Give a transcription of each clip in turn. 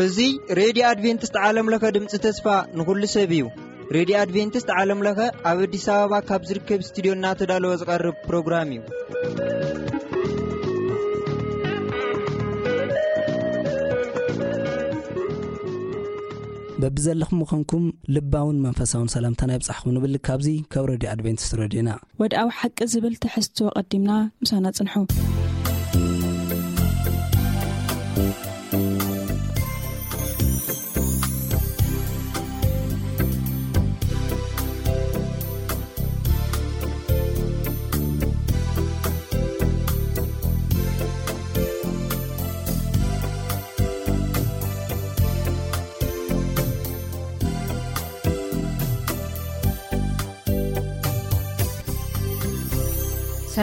እዚ ሬድዮ ኣድቬንቲስት ዓለም ለኸ ድምፂ ተስፋ ንኹሉ ሰብ እዩ። ሬድዮ ኣድቬንቲስት ዓለም ለኸ ኣብ ኣዲስ ኣበባ ካብ ዝርከብ ስቱዲዮ እናተዳለወ ዝቐርብ ፕሮግራም እዩ። በብዘለኹም ምዃንኩም ልባውን መንፈሳውን ሰላምታና ይብጻሕኩም ንብል። ካብዚ ካብ ሬድዮ ኣድቬንቲስት ሬድዮና። ወድኣዊ ሓቂ ዝብል ትሕዝቶ ቀዲምና ምሳና ጽንሑ።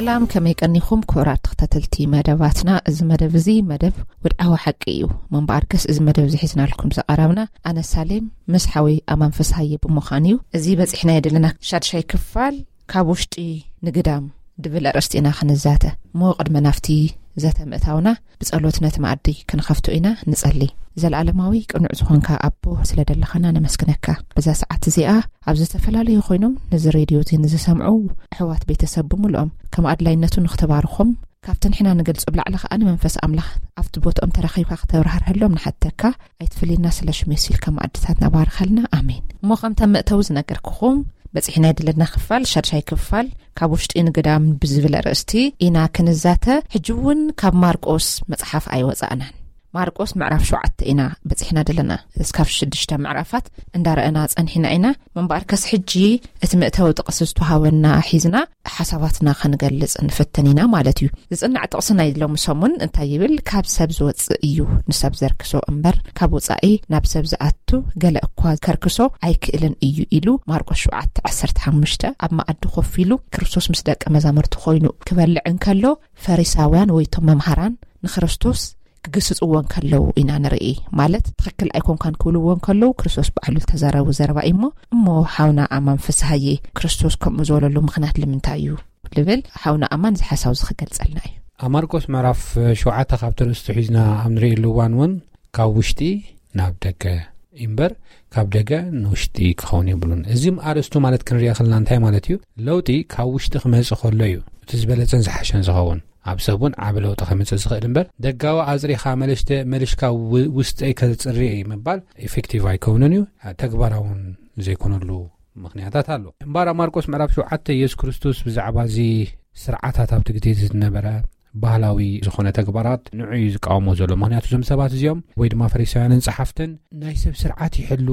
ሰላም፣ ከመይ ቀኒኹም ክቡራት ተኸታተልቲ መደባትና? እዚ መደብ እዚ መደብ ወድዓዊ ሓቂ እዩ። ምንባርከስ እዚ መደብ እዚ ሒዝናልኩም ዝቐረብና ኣነ ሳሌም ምስ ሓወይ ኣማን ፍስሃየ ብምዃን እዩ። እዚ በጺሕናዮ ዘለና ሻድሻይ ክፋል ካብ ውሽጢ ንግዳም ድብል ኣርእስቲ ኢና ክንዛተ። እሞ ቅድመ ናብቲ ዘተ ምእታውና ብጸሎት ነቲ መኣዲ ክንኸፍቶ ኢና። ንጸሊ። ዘለኣለማዊ ቅኑዕ ዝኾንካ ኣቦ ስለ ደለኻና ነመስግነካ። በዛ ሰዓት እዚኣ ኣብ ዝተፈላለዩ ኮይኖም ነዚ ሬድዮ እዚ ንዝሰምዑ ኣሕዋት ቤተሰብ ብምልኦም ከም ኣድላይነቱ ንኽትባርኾም ካብቲ ንሕና ንገልጾ ብላዕሊ ከኣ ንመንፈስ ኣምላኽ ኣብቲ ቦትኦም ተረኺብካ ክተብራህርሀሎም ንሓተካ። ኣይትፍልየና ስለ ሽም የሱስ ኢልካ መኣድታትና ባርኸልና። ኣሜን። እሞ ከምታ መእተዊ ዝነገርኩኹም በጺሕና ዘለና ክፋል ሻድሻይ ክፋል ካብ ውሽጢ ንግዳም ብዝብል ኣርእስቲ ኢና ክንዛተ። ሕጂ እውን ካብ ማርቆስ መጽሓፍ ኣይወጻእናን። ማርቆስ ምዕራፍ ሸውዓተ ኢና በጺሕና ዘለና። እስካብ ሽዱሽተ ምዕራፋት እንዳረኣና ጸኒሕና ኢና። ምንባርከስ ሕጂ እቲ መእተዊ ጥቕሲ ዝተዋህበና ሒዝና ሓሳባትና ክንገልጽ ንፍትን ኢና ማለት እዩ። ዝጽናዕ ጥቕሲ ናይ ሎሚ ሰሙን እንታይ ይብል? ካብ ሰብ ዝወጽእ እዩ ንሰብ ዘርክሶ እምበር፣ ካብ ወጻኢ ናብ ሰብ ዝኣቱ ገለ እኳ ከርክሶ ኣይክእልን እዩ ኢሉ። ማርቆስ ሸውዓተ ዓሰርተ ሓሙሽተ። ኣብ መኣዲ ኮፍ ኢሉ ክርስቶስ ምስ ደቀ መዛሙርቲ ኮይኑ ክበልዕ እንከሎ፣ ፈሪሳውያን ወይ እቶም መምሃራን ንክርስቶስ ክግስጽዎ እንከለዉ ኢና ንርኢ። ማለት ትኽክል ኣይኮንካን ክብልዎ እንከለዉ ክርስቶስ ባዕሉ ዝተዛረቡ ዘረባ እዩ። እሞ፣ እሞ ሓውና ኣማን ፍስሃየ፣ ክርስቶስ ከምኡ ዝበለሉ ምኽንያት ልምንታይ እዩ? ልብል ሓውና ኣማን እዚ ሓሳብ እዚ ክገልጸልና እዩ። ኣብ ማርቆስ ምዕራፍ ሸውዓተ ካብቲ ርእስቱ ሒዝና ኣብ ንርእየሉ እዋን እውን ካብ ውሽጢ ናብ ደገ እምበር ካብ ደገ ንውሽጢ ክኸውን የብሉን። እዚ ኣርእስቱ ማለት ክንሪኦ ከለና እንታይ ማለት እዩ? ለውጢ ካብ ውሽጢ ክመጽእ ከሎ እዩ እቲ ዝበለጸን ዝሓሸን ዝኸውን። ኣብ ሰብ እውን ዓቢ ለውጢ ከምጽእ ዝኽእል እምበር ደጋዊ ኣጽሪኻ መልሽተ-፣ መልሽካ ው-፣ ውስጠይ ከጽሪ እዩ ምባል ኢፌክቲቭ ኣይከውንን እዩ። ተግባራውን ዘይኮነሉ ምኽንያታት ኣሎ። እምበኣር ኣብ ማርቆስ ምዕራፍ ሸውዓተ የሱስ ክርስቶስ ብዛዕባ እዚ ስርዓታት ኣብቲ ግዜ እዚ ዝነበረ ባህላዊ ዝኾነ ተግባራት ንዑ እዩ ዝቃወሞ ዘሎ። ምኽንያቱ እዞም ሰባት እዚኦም ወይ ድማ ፈሪሳውያንን ጸሓፍትን ናይ ሰብ ስርዓት ይሕሉ፣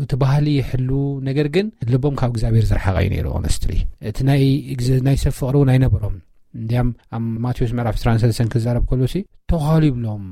እቲ ባህሊ ይሕሉ፣ ነገር ግን ልቦም ካብ እግዚኣብሔር ዝረሓቐ እዩ ነይሩ። ኦነስትሊ እቲ ናይ ግዝ-፣ ናይ ሰብ ፍቕሪ እውን ኣይነበሮም። እንዲያም ኣብ ማቴዎስ ምዕራፍ ዕስራን ሰለስተን ክዛረብ ከሎሲ ተዃሉ ይብሎም፣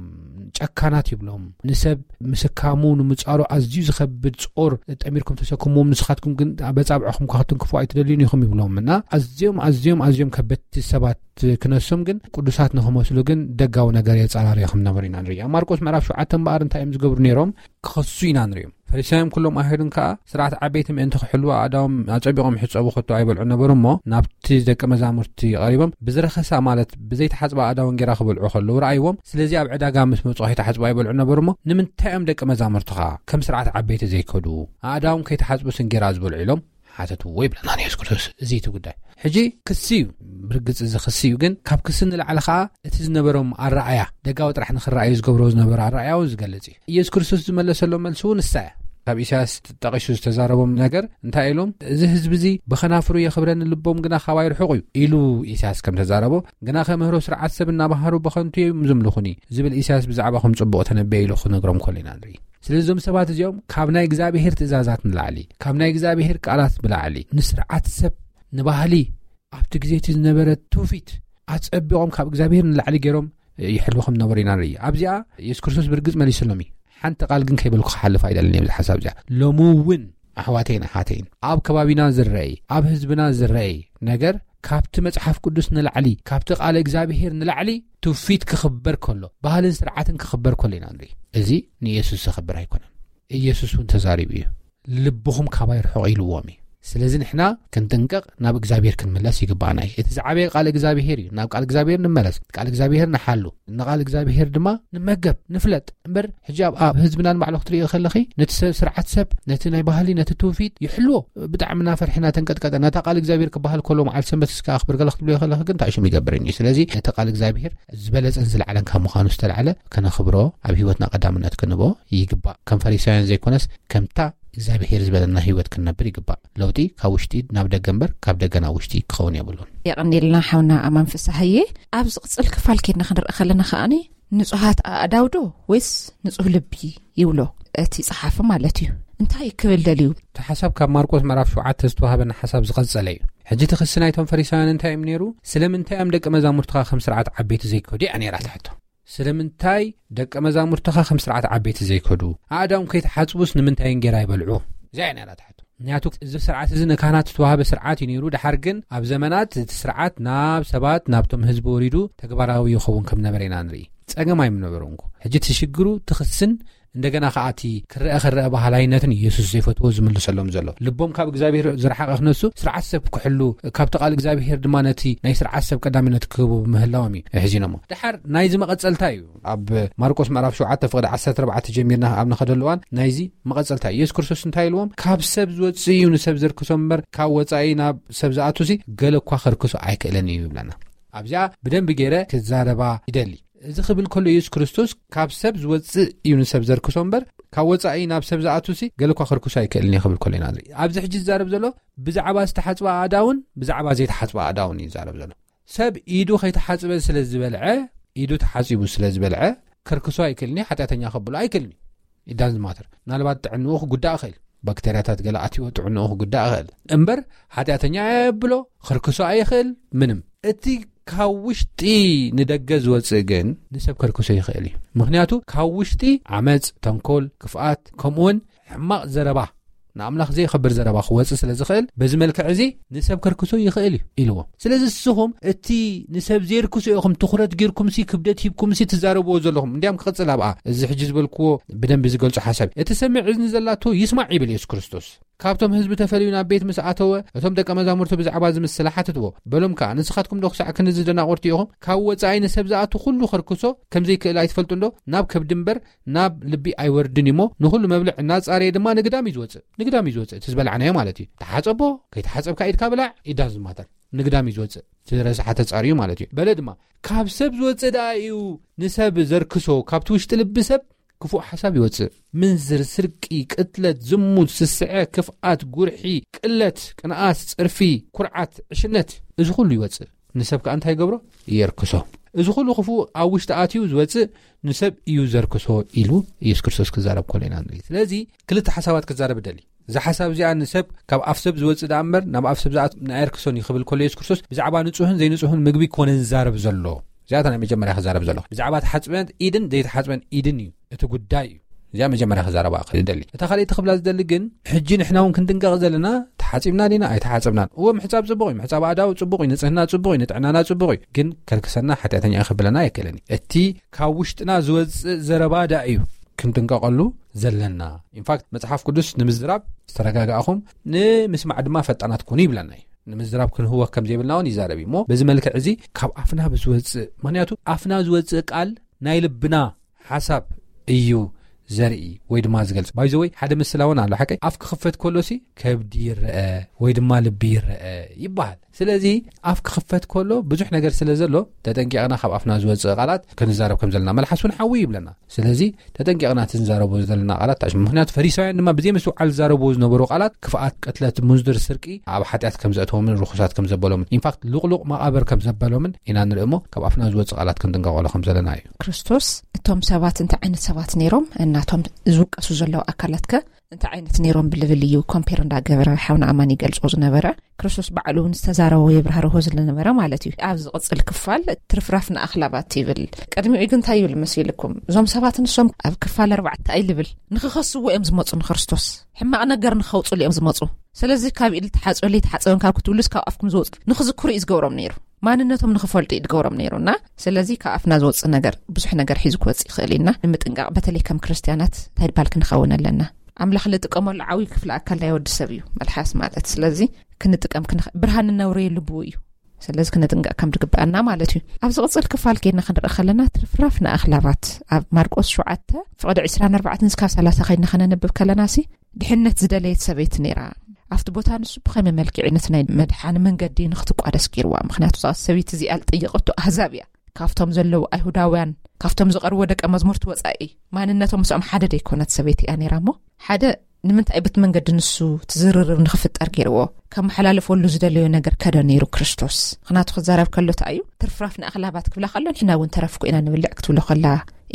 ጨካናት ይብሎም። ንሰብ ምስካሙ ንምጻሩ ኣዝዩ ዝኸብድ ጾር ጠሚርኩም ተሰክምዎም፣ ንስኻትኩም ግን በጻብዕኹም ክትንክፉ ኣይትደልዩን ኢኹም ይብሎም። እና ኣዝዮም ኣዝዮም ኣዝዮም ከበድቲ ሰባት ክነሶም ግን ቅዱሳት ንኽመስሉ ግን ደጋዊ ነገር የጻራርዮም ከም ነበሩ ኢና ንርኢ። ኣብ ማርቆስ ምዕራፍ ሸውዓተ እምበኣር እንታይ እዮም ዝገብሩ ነይሮም? ክኸሱ ኢና ንሪኦም። ፈሪሳውያን ኩሎም ኣይሁድን ከኣ ስርዓት ዓበይቲ ምእንቲ ክሕልዉ ኣእዳዎም ኣጸቢቖም ይሕጸቡ ከቶ ኣይበልዑ ነበሩ እሞ፣ ናብቲ ደቂ መዛሙርቲ ቀሪቦም ብዝረኸሳ ማለት ብዘይተሓጽባ ኣእዳወን ጌራ ክበልዑ ከለዉ ረኣይዎም። ስለዚ ኣብ ዕዳጋ ምስ መጹ ከይተሓጽቡ ኣይበልዑ ነበሩ እሞ፣ ንምንታይ እዮም ደቂ መዛሙርትኻ ከም ስርዓት ዓበይቲ ዘይከዱ? ኣእዳዎም ከይተሓጽቡስ እንጌራ ዝበልዑ ኢሎም ሓተትዎ ይብለና ንየሱስ ክርስቶስ። እዚ እቲ ጉዳይ። ሕጂ ክሲ እዩ፣ ብርግጽ እዚ ክሲ እዩ፣ ግን ካብ ክሲ ንላዕሊ ከኣ እቲ ዝነበሮም ኣረኣያ፣ ደጋዊ ጥራሕ ንኽረኣዩ ዝገብሮ ዝነበረ ኣረኣያ እውን ዝገልጽ እዩ። ኢየሱስ ክርስቶስ ዝመለሰሎም መልሲ እውን ንሳ እያ። ካብ ኢሳያስ ጠቒሱ ዝተዛረቦም ነገር እንታይ ኢሎም? "እዚ ህዝቢ እዚ ብኸናፍሩ የኽብረኒ፣ ልቦም ግና ካባይ ርሑቕ እዩ" ኢሉ ኢሳያስ ከም ተዛረቦ፣ ግናኸ ምህሮ ስርዓት ሰብ እናበሃሩ ብኸንቱ እዮም ዝምልኹኒ ዝብል ኢሳያስ ብዛዕባኹም ጽቡቕ ተነበየ ኢሉ ክነግሮም ከሎ ኢና ንርኢ። ስለዚ እዞም ሰባት እዚኦም ካብ ናይ እግዚኣብሔር ትእዛዛት ንላዕሊ፣ ካብ ናይ እግዚኣብሔር ቃላት ብላዕሊ ንስርዓት ሰብ፣ ንባህሊ፣ ኣብቲ ግዜ እቲ ዝነበረ ትውፊት ኣጸቢቖም ካብ እግዚኣብሔር ንላዕሊ ገይሮም ይሕልዉ ከም ዝነበሩ ኢና ንርኢ። ኣብዚኣ የሱስ ክርስቶስ ብርግጽ መሊሱሎም እዩ። ሓንቲ ቃል ግን ከይበልኩ ክሓልፍ ኣይደልን እየ ብዚ ሓሳብ እዚኣ። ሎሚ እውን ኣሕዋተይን ኣሓተይን ኣብ ከባቢና ዝረኣይ፣ ኣብ ህዝብና ዝረኣይ ነገር ካብቲ መጽሓፍ ቅዱስ ንላዕሊ፣ ካብቲ ቃለ እግዚኣብሔር ንላዕሊ ትውፊት ክኽበር ከሎ፣ ባህልን ስርዓትን ክኽበር ከሎ ኢና ንርኢ። እዚ ንየሱስ ዘኽብር ኣይኮነን። ኢየሱስ እውን ተዛሪቡ እዩ። "ልብኹም ካባይ ርሑቕ" ኢልዎም እዩ። ስለዚ ንሕና ክንጥንቀቕ ናብ እግዚኣብሔር ክንምለስ ይግባኣና እዩ። እቲ ዝዓበየ ቃል እግዚኣብሔር እዩ። ናብ ቃል እግዚኣብሔር ንመለስ፣ ቃል እግዚኣብሔር ንሓሉ፣ ንቃል እግዚኣብሔር ድማ ንመገብ፣ ንፍለጥ እምበር። ሕጂ ኣብ ኣብ ህዝብና ንባዕሉ ክትሪኦ ከለኺ፣ ነቲ ሰብ ስርዓት ሰብ፣ ነቲ ናይ ባህሊ፣ ነቲ ትውፊት ይሕልዎ። ብጣዕሚ እናፈርሒ እናተንቀጥቀጠ ነታ ቃል እግዚኣብሔር ክበሃል ከሎ መዓልቲ ሰንበት እስከ ኣኽብር ገለ ክትብልዮ ከለኺ ግን እንታይ ሽም ይገብርን እዩ። ስለዚ ነቲ ቃል እግዚኣብሔር ዝበለጸን ዝለዓለን ካብ ምዃኑ ዝተላዕለ ከነኽብሮ፣ ኣብ ህይወትና ቀዳምነት ክንቦ ይግባእ። ከም ፈሪሳውያን ዘይኮነስ ከምታ እግዚኣብሔር ዝበለና ህይወት ክንነብር ይግባእ። ለውጢ ካብ ውሽጢ ናብ ደገ እምበር ካብ ደገ ናብ ውሽጢ ክኸውን የብሉን። የቐንየልና ሓውና ኣማን ፍስሃዬ። ኣብ ዝቕጽል ክፋል ኬድና ክንርኢ ከለና ከኣኒ ንጹሃት ኣእዳው ዶ ወይስ ንጹህ ልቢ ይብሎ እቲ ጸሓፊ ማለት እዩ። እንታይ ክብል ደልዩ? እቲ ሓሳብ ካብ ማርቆስ ምዕራፍ ሸውዓተ ዝተዋህበና ሓሳብ ዝቐጸለ እዩ። ሕጂ እቲ ክሲ ናይቶም ፈሪሳውያን እንታይ እዮም ነይሩ? ስለምንታይ እዮም ደቂ መዛሙርትኻ ከም ስርዓት ዓበይቲ ዘይከዱ እያ ነይራ ትሕቶ። ስለምንታይ ደቂ መዛሙርትኻ ከም ስርዓት ዓበይቲ ዘይከዱ? ኣእዳዎም ከይተሓጽቡስ ንምንታይ እንጌራ ይበልዑ? እዚኣ እያ ነይራ ትሕቶ። ምክንያቱ እዚ ስርዓት እዚ ንካህናት ዝተዋህበ ስርዓት እዩ ነይሩ። ድሓር ግን ኣብ ዘመናት እቲ ስርዓት ናብ ሰባት፣ ናብቶም ህዝቢ ወሪዱ ተግባራዊ ይኸውን ከም ነበረ ኢና ንርኢ። ጸገም ኣይምነበሮን እኮ። ሕጂ እቲ ሽግሩ እቲ ክስን እንደገና ከኣ እቲ ክረአ ክረአ ባህላይነትን ኢየሱስ ዘይፈትዎ ዝምልሰሎም ዘሎ። ልቦም ካብ እግዚኣብሔር ዝረሓቐ ክነሱ ስርዓት ሰብ ክሕሉ፣ ካብቲ ቃል እግዚኣብሔር ድማ ነቲ ናይ ስርዓት ሰብ ቀዳምነት ክህቡ ብምህላዎም እዩ ሕዚኖሞ። ድሓር ናይዚ መቐጸልታ እዩ። ኣብ ማርቆስ ምዕራፍ ሸውዓተ ፍቕዲ ዓሰርተ ኣርባዕተ ጀሚርና ኣብ ንኸደሉ እዋን ናይዚ መቐጸልታ እዩ። ኢየሱስ ክርስቶስ እንታይ ኢልዎም? ካብ ሰብ ዝወጽእ እዩ ንሰብ ዘርክሶ እምበር ካብ ወጻኢ ናብ ሰብ ዝኣቱሲ ገለ እኳ ከርክሶ ኣይክእልን እዩ ይብለና። ኣብዚኣ ብደንቢ ገይረ ክዛረባ ይደሊ። እዚ ክብል ከሎ ኢየሱስ ክርስቶስ ካብ ሰብ ዝወጽእ እዩ ንሰብ ዘርክሶ እምበር ካብ ወጻኢ ናብ ሰብ ዝኣቱሲ ገለ እኳ ከርክሶ ኣይክእልን እዩ ክብል ከሎ ኢና ንርኢ። ኣብዚ ሕጂ ዝዛረብ ዘሎ ብዛዕባ ዝተሓጽባ ኣእዳውን ብዛዕባ ዘይተሓጽባ ኣእዳውን እዩ ዝዛረብ ዘሎ። ሰብ ኢዱ ከይተሓጽበ ስለ ዝበልዐ፣ ኢዱ ተሓጺቡ ስለ ዝበልዐ ከርክሶ ኣይክእልን እዩ፣ ሓጢኣተኛ ከብሎ ኣይክእልን እዩ። ኢዳን ዝማተር ምናልባት ጥዕንኡ ክጉዳእ ይኽእል፣ ባክተርያታት ገለ ኣትይዎ ጥዕንኡ ክጉዳእ ይኽእል እምበር ሓጢኣተኛ ኣየብሎ፣ ከርክሶ ኣይኽእል ምንም። እቲ ካብ ውሽጢ ንደገ ዝወጽእ ግን ንሰብ ከርክሶ ይኽእል እዩ። ምክንያቱ ካብ ውሽጢ ዓመጽ፣ ተንኮል፣ ክፍኣት፣ ከምኡውን ሕማቕ ዘረባ፣ ንኣምላኽ ዘየኸብር ዘረባ ክወጽእ ስለ ዝኽእል በዚ መልክዕ እዚ ንሰብ ከርክሶ ይኽእል እዩ ኢልዎም። ስለዚ ንስኹም እቲ ንሰብ ዘየርክሶ ኢኹም ትኹረት ጌርኩምሲ ክብደት ሂብኩምሲ ትዛረብዎ ዘለኹም። እንዲያም ክቕጽል ኣብኣ እዚ ሕጂ ዝበልክዎ ብደንቢ ዝገልጾ ሓሳብ እዩ። እቲ ሰሚዕ እዝኒ ዘላቶ ይስማዕ ይብል ኢየሱስ ክርስቶስ። ካብቶም ህዝቢ ተፈልዩ ናብ ቤት ምስ ኣተወ እቶም ደቀ መዛሙርቱ ብዛዕባ እዚ ምስላ ሓትትዎ። በሎም ከኣ ንስኻትኩም ዶ ክሳዕ ክንዚ ደናቑርቲ ኢኹም? ካብ ወጻኢ ንሰብ ዝኣቱ ኩሉ ከርክሶ ከም ዘይክእል ኣይትፈልጡ እንዶ? ናብ ከብዲ እምበር ናብ ልቢ ኣይወርድን እዩ እሞ ንኹሉ መብልዕ እናጻረየ ድማ ንግዳም እዩ ዝወጽእ። ንግዳም እዩ ዝወጽእ። እቲ ዝበላዕናዮ ማለት እዩ። ተሓጸቦ፣ ከይተሓጸብካ ኢድካ ብላዕ፣ ኢዳን ዝማተር። ንግዳም እዩ ዝወጽእ። እቲ ረሳሓ ተጻርዩ ማለት እዩ። በለ ድማ ካብ ሰብ ዝወጽእ ደኣ እዩ ንሰብ ዘርክሶ፣ ካብቲ ውሽጢ ልቢ ሰብ ክፉእ ሓሳብ ይወጽእ። ምንዝር፣ ስርቂ፣ ቅትለት፣ ዝሙት፣ ስስዐ፣ ክፍኣት፣ ጉርሒ፣ ቅለት፣ ቅንኣት፣ ጽርፊ፣ ኩርዓት፣ ዕሽነት፣ እዚ ኩሉ ይወጽእ። ንሰብ ከኣ እንታይ ይገብሮ? የርክሶ። እዚ ኩሉ ክፉእ ኣብ ውሽጢ ኣትዩ ዝወጽእ ንሰብ እዩ ዘርክሶ ኢሉ ኢየሱስ ክርስቶስ ክዛረብ ከሎ ኢና ንርኢ። ስለዚ ክልተ ሓሳባት ክዛረብ እደሊ። እዛ ሓሳብ እዚኣ ንሰብ ካብ ኣፍ ሰብ ዝወጽእ ደኣ እምበር ናብ ኣፍ ሰብ ዝኣት-፣ ንኣየርክሶን እዩ ክብል ከሎ ኢየሱስ ክርስቶስ ብዛዕባ ንጹህን ዘይንጹህን ምግቢ ኮነ ዝዛረብ ዘሎ። እዚኣታ ናይ መጀመርያ ክዛረብ ዘለኹ። ብዛዕባ ተሓጽበን ኢድን ዘይተሓጽበን ኢድን እዩ እቲ ጉዳይ እዩ። እዚኣ መጀመርያ ክዛረባ ክደሊ። እታ ካልኣይቲ ክብላ ዝደሊ ግን፣ ሕጂ ንሕና እውን ክንጥንቀቕ ዘለና፣ ተሓጺብና ዲና ኣይተሓጸብናን። እወ፣ ምሕጻብ ጽቡቕ እዩ፣ ምሕጻብ ኣእዳው ጽቡቕ እዩ፣ ንጽህና ጽቡቕ እዩ፣ ንጥዕናና ጽቡቕ እዩ። ግን ከርክሰና፣ ሓጢኣተኛ እዩ ክብለና ኣይክእልን እዩ። እቲ ካብ ውሽጥና ዝወጽእ ዘረባ ደኣ እዩ ክንጥንቀቐሉ ዘለና። ኢንፋክት፣ መጽሓፍ ቅዱስ ንምዝራብ ዝተረጋጋእኹም፣ ንምስማዕ ድማ ፈጣናት ኩኑ ይብለና እዩ። ንምዝራብ ክንህወኽ ከም ዘይብልና እውን ይዛረብ እዩ። እሞ በዚ መልክዕ እዚ ካብ ኣፍና ብዝወጽእ፣ ምኽንያቱ ኣፍና ዝወጽእ ቃል ናይ ልብና ሓሳብ እዩ ዘርኢ ወይ ድማ ዝገልጽ። ባይዘወይ ሓደ ምስላ እውን ኣሎ ሓቀይ። ኣፍ ክኽፈት ከሎሲ ከብዲ ይረአ ወይ ድማ ልቢ ይረአ ይበሃል። ስለዚ ኣፍ ክኽፈት ከሎ ብዙሕ ነገር ስለ ዘሎ ተጠንቂቕና ካብ ኣፍና ዝወጽእ ቃላት ክንዛረብ ከም ዘለና፣ መልሓስ እውን ሓዊ ይብለና። ስለዚ ተጠንቂቕና እቲ ንዛረቦ ዘለና ቃላት ተኣሽሙ። ምኽንያቱ ፈሪሳውያን ድማ ብዘይ ምስትውዓል ዝዛረብዎ ዝነበሩ ቃላት ክፍኣት፣ ቅትለት፣ ሙንዝር፣ ስርቂ ኣብ ሓጢኣት ከም ዘእተዎምን ርኹሳት ከም ዘበሎምን፣ ኢንፋክት ልቕሉቕ መቓብር ከም ዘበሎምን ኢና ንርኢ እሞ ካብ ኣፍና ዝወጽእ ቃላት ክንጥንቀቐሉ ከም ዘለና እዩ። ክርስቶስ እቶም ሰባት እንታይ ዓይነት ሰባት ነይሮም እናቶም ዝውቀሱ ዘለዉ ኣካላት ከ እንታይ ዓይነት ነይሮም ብልብል እዩ ኮምፔር እንዳገበረ ሓውና ኣማን ይገልጾ ዝነበረ። ክርስቶስ ባዕሉ እውን ዝተዛረቦ የብራህርሆ ዝነበረ ማለት እዩ። ኣብ ዝቕጽል ክፋል ትርፍራፍ ንኣኽላባት ይብል። ቅድሚኡ ግን እንታይ ይብል መሲልኩም? እዞም ሰባት ንሶም ኣብ ክፋል ኣርባዕተ እንታይ ልብል? ንኽኸስዎ እዮም ዝመጹ ንክርስቶስ። ሕማቕ ነገር ንኸውጽሉ እዮም ዝመጹ። ስለዚ ካብ ኢድ ተሓጽበለይ ተሓጽበን ካብ ክትብሉስ ካብ ኣፍኩም ዝወጽእ ንኽዝክሩ እዩ ዝገብሮም ነይሩ። ማንነቶም ንኽፈልጡ እዩ ዝገብሮም ነይሩና። ስለዚ ካብ ኣፍና ዝወጽእ ነገር ብዙሕ ነገር ሒዙ ክወጽእ ይኽእል እዩና ንምጥንቃቕ በተለይ ከም ክርስትያናት እንታይ ባል ክንኸውን ኣለና። ኣምላኽ ዝጥቀመሉ ዓብዪ ክፍሊ ኣካል ናይ ወዲ ሰብ እዩ መልሓስ ማለት። ስለዚ ክንጥቀም ክንኽ- ብርሃን እነውረየሉ ብኡ እዩ። ስለዚ ክንጥንቀቕ ከም ዝግበኣና ማለት እዩ። ኣብ ዝቕጽል ክፋል ከይድና ክንርኢ ከለና፣ ትርፍራፍ ንኣኽላባት ኣብ ማርቆስ ሸውዓተ ፍቕዲ ዕስራን ኣርባዕተን እስካብ ሰላሳ ከይድና ከነንብብ ከለና ሲ ድሕነት ዝደለየት ሰበይቲ ነይራ። ኣብቲ ቦታ ንሱ ብኸመይ መልክዕ ነቲ ናይ መድሓኒ መንገዲ ንክትቋደስ ገይርዋ? ምክንያቱ እዛ ሰበይቲ እዚኣ ዝጠየቐቶ ኣህዛብ እያ። ካብቶም ዘለዉ ኣይሁዳውያን፣ ካብቶም ዝቐርቦ ደቀ መዝሙርቲ ወጻኢ ማንነቶም ምስኦም ሓደ ደይኮነት ሰበይቲ እያ ነይራ። እሞ ሓደ ንምንታይ ብቲ መንገዲ ንሱ ትዝርርብ ንክፍጠር ገይርዎ? ከመሓላለፈሉ ዝደለዮ ነገር ከደ ነይሩ ክርስቶስ? ምክንያቱ ክዛረብ ከሎ እንታይ እዩ? ትርፍራፍ ንኣኽላባት ክብላ ከሎ ንሕና እውን ተረፍኩ ኢና ንብልዕ ክትብሎ ከላ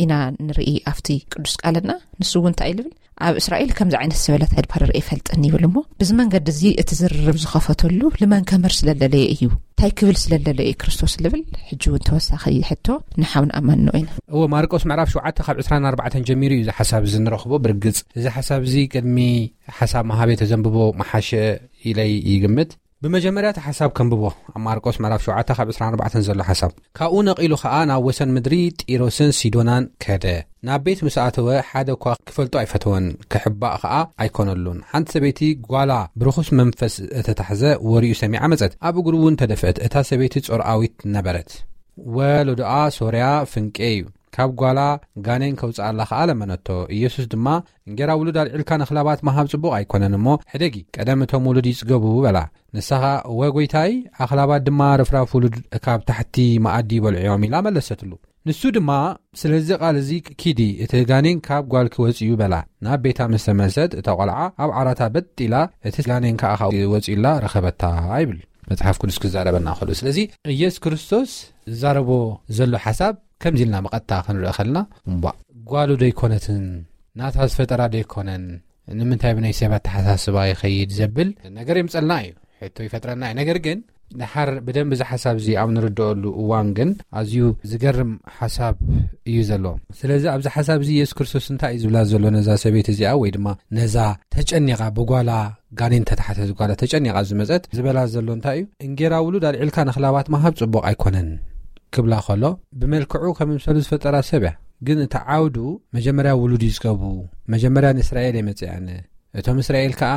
ኢና ንርኢ ኣብቲ ቅዱስ ቃልና። ንሱ እውን እንታይ እዩ ዝብል? ኣብ እስራኤል ከምዚ ዓይነት ዝበለት ኣይድባርር ኣይፈልጥን ይብል። እሞ ብዚ መንገዲ እዚ እቲ ዝርርብ ዝኸፈተሉ ልመን ከምህር ስለለለየ እዩ፣ እንታይ ክብል ስለለለየ እዩ ክርስቶስ ልብል። ሕጂ እውን ተወሳኺ ሕቶ ንሓውን ኣማኖ ኢና። እዎ፣ ማርቆስ ምዕራፍ ሸውዓተ ካብ ዕስራን ኣርባዕተን ጀሚሩ እዩ እዚ ሓሳብ እዚ ንረኽቦ። ብርግጽ እዚ ሓሳብ እዚ ቅድሚ ሓሳብ መሃቤ ተዘንብቦ መሓሸ ኢለይ ይግምት። ብመጀመርያ እቲ ሓሳብ ከንብቦ፣ ኣብ ማርቆስ ምዕራፍ ሸውዓተ ካብ ዕስራን ኣርባዕተን ዘሎ ሓሳብ። ካብኡ ነቒሉ ኸኣ ናብ ወሰን ምድሪ ጢሮስን ሲዶናን ከደ። ናብ ቤት ምስ ኣተወ ሓደ እኳ ክፈልጦ ኣይፈተወን፣ ክሕባእ ኸኣ ኣይኮነሉን። ሓንቲ ሰበይቲ ጓላ ብርኹስ መንፈስ እተታሕዘ ወሬኡ ሰሚዓ መጸት፣ ኣብ እግሩ እውን ተደፍአት። እታ ሰበይቲ ጾርኣዊት ነበረት። ወለዶኣ ሶርያ ፍንቄ እዩ። ካብ ጓላ ጋኔን ከውጽኣላ ኸኣ ለመነቶ። ኢየሱስ ድማ፣ "እንጌራ ውሉድ ኣልዒልካ ንኣኽላባት ምሃብ ጽቡቕ ኣይኮነን እሞ፣ ሕደጊ፣ ቀደም እቶም ውሉድ ይጽገቡ" በላ። ንሳ ኸኣ፣ "እወ ጐይታይ፣ ኣኽላባት ድማ ርፍራፍ ውሉድ ካብ ታሕቲ መኣዲ ይበልዑ እዮም" ኢላ መለሰትሉ። ንሱ ድማ፣ "ስለዚ ቃል እዚ ኪዲ፣ እቲ ጋኔን ካብ ጓልኪ ወጺኡ" በላ። ናብ ቤታ ምስ ተመልሰት፣ እታ ቈልዓ ኣብ ዓራታ በጥ ኢላ፣ እቲ ጋኔን ከኣ ካብኡ ወጺኡላ ረኸበታ ይብል መጽሓፍ ቅዱስ ክዛረበና ከሎ። ስለዚ ኢየሱስ ክርስቶስ ዝዛረቦ ዘሎ ሓሳብ ከምዚ ኢልና ብቐጥታ ክንርኢ ከለና፣ እምቧእ፣ ጓሉ ዶ ኣይኮነትን? ናታ ዝፈጠራ ዶ ኣይኮነን? ንምንታይ ብናይ ሰብ ኣተሓሳስባ ይኸይድ ዘብል ነገር የምጸልና እዩ፣ ሕቶ ይፈጥረልና እዩ። ነገር ግን፣ ድሓር ብደንቢ እዚ ሓሳብ እዚ ኣብ ንርድኦሉ እዋን ግን፣ ኣዝዩ ዝገርም ሓሳብ እዩ ዘሎ። ስለዚ ኣብዚ ሓሳብ እዚ ኢየሱስ ክርስቶስ እንታይ እዩ ዝብላ ዘሎ ነዛ ሰበይቲ እዚኣ፣ ወይ ድማ ነዛ ተጨኒቓ ብጓላ ጋኔን ተታሕተ ዝጓላ ተጨኒቓ ዝመጸት ዝበላ ዘሎ እንታይ እዩ? "እንጌራ ውሉድ ኣልዒልካ ንኣኽላባት ምሃብ ጽቡቕ ኣይኮነን" ክብላ ከሎ፣ ብመልክዑ ከም ምምሰሉ ዝፈጠራ ሰብ እያ። ግን እቲ ዓውዱ መጀመርያ ውሉድ ይጽገቡ፣ መጀመርያ ንእስራኤል እየ መጺኣ ኣነ። እቶም እስራኤል ከኣ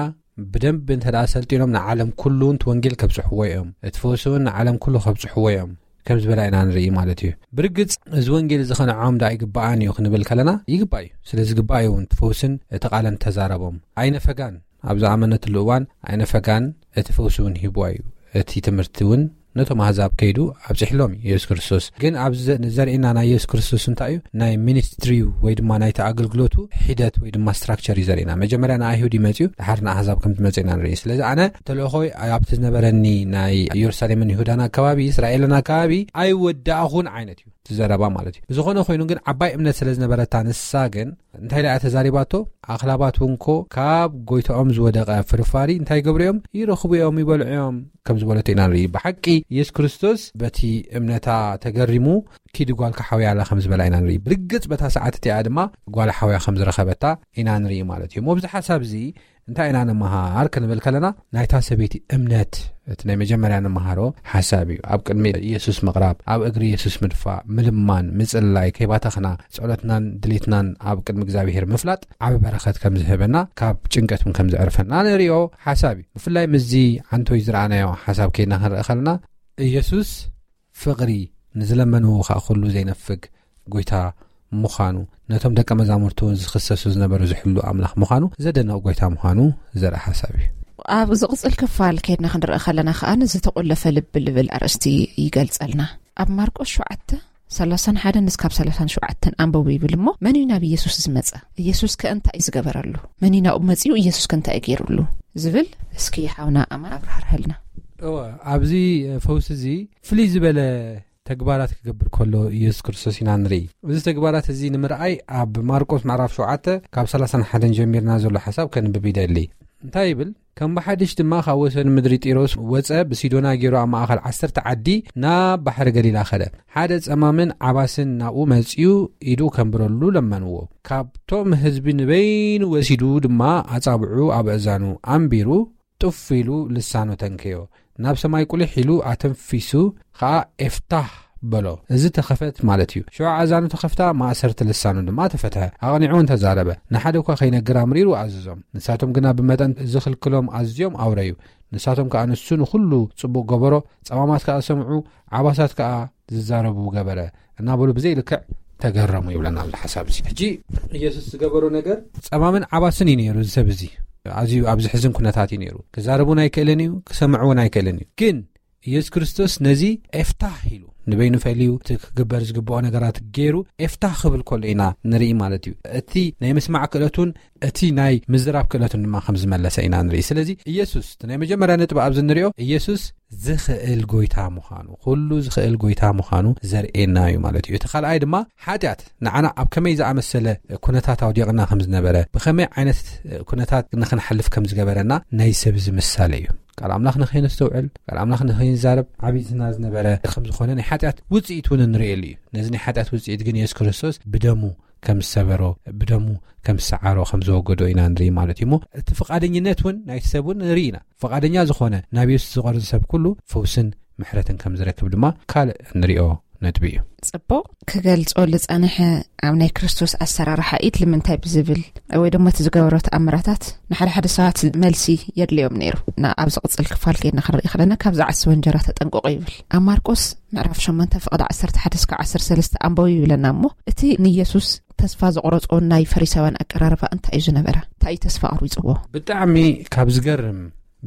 ብደንብ እንተ ደኣ ሰልጢኖም ንዓለም ኩሉ እቲ ወንጌል ከብጽሕዎ እዮም። እቲ ፈውሲ እውን ንዓለም ኩሉ ከብጽሕዎ እዮም። ከም ዝበላ ኢና ንርኢ ማለት እዩ። ብርግጽ እዚ ወንጌል እዚ ኸነዖም ደኣ ይግብኣን እዩ ክንብል ከለና፣ ይግባእ እዩ። ስለ ዝግባእ እዩ እውን እቲ ፈውስን እቲ ቃልን ተዛረቦም። ኣይነፈጋን፣ ኣብ ዝኣመነትሉ እዋን ኣይነፈጋን፣ እቲ ፈውሲ እውን ሂብዋ እዩ። እቲ ትምህርቲ እውን ነቶም ኣህዛብ ከይዱ ኣብጽሕሎም እዩ የሱስ ክርስቶስ። ግን ኣብዚ ዘ-፣ ዘርእየና ናይ የሱስ ክርስቶስ እንታይ እዩ? ናይ ሚኒስትሪው ወይ ድማ ናይቲ ኣገልግሎቱ ሒደት ወይ ድማ ስትራክቸር እዩ ዘርእየና። መጀመርያ ንኣይሁድ እዩ መጺኡ፣ ድሓር ንኣህዛብ ከም ዝመጽእ ኢና ንርኢ። ስለዚ ኣነ ተልእኾይ ኣብቲ ዝነበረኒ ናይ ኢየሩሳሌምን ይሁዳን ኣከባቢ፣ እስራኤልን ኣከባቢ ኣይወዳእኹን ዓይነት እዩ እቲ ዘረባ ማለት እዩ። ብዝኾነ ኮይኑ ግን ዓባይ እምነት ስለ ዝነበረታ ንሳ ግን እንታይ ደኣ ተዛሪባቶ? ኣኽላባት እውን ኮ ካብ ጎይታኦም ዝወደቐ ፍርፋሪ እንታይ ይገብሩ እዮም? ይረኽቡ እዮም፣ ይበልዑ እዮም ከም ዝበለቶ ኢና ንርኢ። ብሓቂ የሱስ ክርስቶስ በቲ እምነታ ተገሪሙ ኪዲ ጓልካ ሓውያ ኣላ ከም ዝበላ ኢና ንርኢ። ብርግጽ በታ ሰዓት እቲኣ ድማ ጓል ሓውያ ከም ዝረኸበታ ኢና ንርኢ ማለት እዩ። እሞ ኣብዚ ሓሳብ እዚ እንታይ ኢና ንመሃር ክንብል ከለና ናይታ ሰበይቲ እምነት እቲ ናይ መጀመርያ ንመሃሮ ሓሳብ እዩ። ኣብ ቅድሚ የሱስ ምቕራብ፣ ኣብ እግሪ የሱስ ምድፋእ፣ ምልማን፣ ምጽላይ፣ ከይባተኽና ጸሎትናን ድሌትናን ኣብ ቅድሚ እግዚኣብሔር ምፍላጥ ዓቢ በረኸት ከም ዝህበና፣ ካብ ጭንቀት እውን ከም ዘዕርፈና ንርእዮ ሓሳብ እዩ። ብፍላይ ምስዚ ዓንቶይ ዝረኣናዮ ሓሳብ ከይድና ክንርኢ ከለና፣ ኢየሱስ ፍቕሪ፣ ንዝለመንዎ ኸኣ ኩሉ ዘይነፍግ ጎይታ ምዃኑ፣ ነቶም ደቀ መዛሙርቱ እውን ዝኽሰሱ ዝነበሩ ዝሕሉ ኣምላኽ ምዃኑ ዘደንቕ ጎይታ ምዃኑ ዘርኢ ሓሳብ እዩ። ኣብ ዝቕጽል ክፋል ከይድና ክንርኢ ከለና ኸኣ፣ ንዝተቖለፈ ልቢ ልብል ኣርእስቲ ይገልጸልና። ኣብ ማርቆስ ሸውዓተ፣ ሰላሳን ሓደን እስካብ ሰላሳን ሸውዓተን ኣንብቡ ይብል። እሞ መን እዩ ናብ ኢየሱስ ዝመጸ? ኢየሱስ ከ እንታይ እዩ ዝገበረሉ? መን እዩ ናብኡ መጺኡ? ኢየሱስ ከ እንታይ እዩ ገይሩሉ? ዝብል እስኪ ሓውና ኣማን ኣብራህርሀልና። እወ፣ ኣብዚ ፈውሲ እዚ ፍልይ ዝበለ ተግባራት ክገብር ከሎ ኢየሱስ ክርስቶስ ኢና ንርኢ። እዚ ተግባራት እዚ ንምርኣይ ኣብ ማርቆስ ምዕራፍ ሸውዓተ ካብ ሰላሳን ሓደን ጀሚርና ዘሎ ሓሳብ ከንብብ ይደሊ። እንታይ ይብል? ከም ብሓድሽ ድማ ካብ ወሰን ምድሪ ጢሮስ ወጸ፣ ብሲዶና ገይሩ ኣብ ማእከል ዓሰርተ ዓዲ ናብ ባሕሪ ገሊላ ከደ። ሓደ ጸማምን ዓባስን ናብኡ መጺኡ ኢዱ ከንብረሉ ለመንዎ። ካብቶም ህዝቢ ንበይኑ ወሲዱ ድማ ኣጻብዑ ኣብ ኣእዛኑ ኣንቢሩ፣ ጡፍ ኢሉ ልሳኑ ተንከዮ። ናብ ሰማይ ቁሊሕ ኢሉ ኣተንፊሱ ኸኣ ኤፍታህ በሎ። እዚ ተኸፈት ማለት እዩ። ሽዑ ኣእዛኑ ተኸፍታ፣ ማእሰርቲ ልሳኑ ድማ ተፈትሐ። ኣቕኒዑ እውን ተዛረበ። ንሓደ እኳ ከይነግር ኣምሪሩ ኣዘዞም። ንሳቶም ግና ብመጠን ዝኽልክሎም ኣዝዮም ኣውረዩ። ንሳቶም ከኣ ንሱ ንኹሉ ጽቡቕ ገበሮ፣ ጸማማት ከኣ ሰምዑ፣ ዓባሳት ከኣ ዝዛረቡ ገበረ እናበሉ ብዘይ ልክዕ ተገረሙ ይብለና ኣሎ ሓሳብ እዚ። ሕጂ ኢየሱስ ዝገበሮ ነገር ጸማምን ዓባስን እዩ ነይሩ። እዚ ሰብ እዚ ኣዝዩ ኣብ ዝሕዝን ኩነታት እዩ ነይሩ። ክዛረብ እውን ኣይክእልን እዩ፣ ክሰምዕ እውን ኣይክእልን እዩ። ግን ኢየሱስ ክርስቶስ ነዚ ኤፍታህ ኢሉ ንበይኑ ፈልዩ እቲ ክግበር ዝግብኦ ነገራት ገይሩ ኤፍታህ ክብል ከሎ ኢና ንርኢ ማለት እዩ። እቲ ናይ ምስማዕ ክእለቱን እቲ ናይ ምዝራብ ክእለቱን ድማ ከም ዝመለሰ ኢና ንርኢ። ስለዚ ኢየሱስ እቲ ናይ መጀመርያ ነጥቢ ኣብዚ ንሪኦ ኢየሱስ ዝኽእል ጎይታ ምዃኑ፣ ኩሉ ዝኽእል ጎይታ ምዃኑ ዘርእየና እዩ ማለት እዩ። እቲ ካልኣይ ድማ ሓጢኣት ንዓና ኣብ ከመይ ዝኣመሰለ ኩነታት ኣውዲቕና ከም ዝነበረ፣ ብኸመይ ዓይነት ኩነታት ንኽንሓልፍ ከም ዝገበረና ናይ ሰብ እዚ ምሳሌ እዩ። ቃል ኣምላኽ ንኸይነስተውዕል፣ ቃል ኣምላኽ ንኸይንዛረብ ዓቢጥና ዝነበረ ከም ዝኾነ ናይ ሓጢኣት ውጽኢት እውን ንርእየሉ እዩ። ነዚ ናይ ሓጢኣት ውጽኢት ግን የሱስ ክርስቶስ ብደሙ ከም ዝሰበሮ፣ ብደሙ ከም ዝሰዓሮ፣ ከም ዘወገዶ ኢና ንርኢ ማለት እዩ። እሞ እቲ ፍቓደኝነት እውን ናይቲ ሰብ እውን ንርኢ ኢና። ፍቓደኛ ዝኾነ ናብ የሱስ ዝቐርብ ሰብ ኩሉ ፈውስን ምሕረትን ከም ዝረክብ ድማ ካልእ ንሪኦ ነጥቢ እዩ። ጽቡቕ። ክገልጾ ዝጸንሐ ኣብ ናይ ክርስቶስ ኣሰራርሓ ኢድ ልምንታይ ብዝብል ወይ ድማ እቲ ዝገበሮ ተኣምራታት ንሓደ ሓደ ሰባት መልሲ የድልዮም ነይሩ። ና-፣ ኣብ ዝቕጽል ክፋል ከይድና ክንርኢ ከለና ካብዚ ዓስበ እንጀራ ተጠንቀቑ ይብል። ኣብ ማርቆስ ምዕራፍ ሸሞንተ ፍቕዲ ዓሰርተ ሓደ እስከ ዓሰርተ ሰለስተ ኣንበቡ ይብለና። እሞ እቲ ንየሱስ ተስፋ ዘቑረጾ ናይ ፈሪሳውያን ኣቀራርባ እንታይ እዩ ዝነበረ? እንታይ እዩ ተስፋ ኣቑሪጽዎ? ብጣዕሚ ካብ ዝገርም፣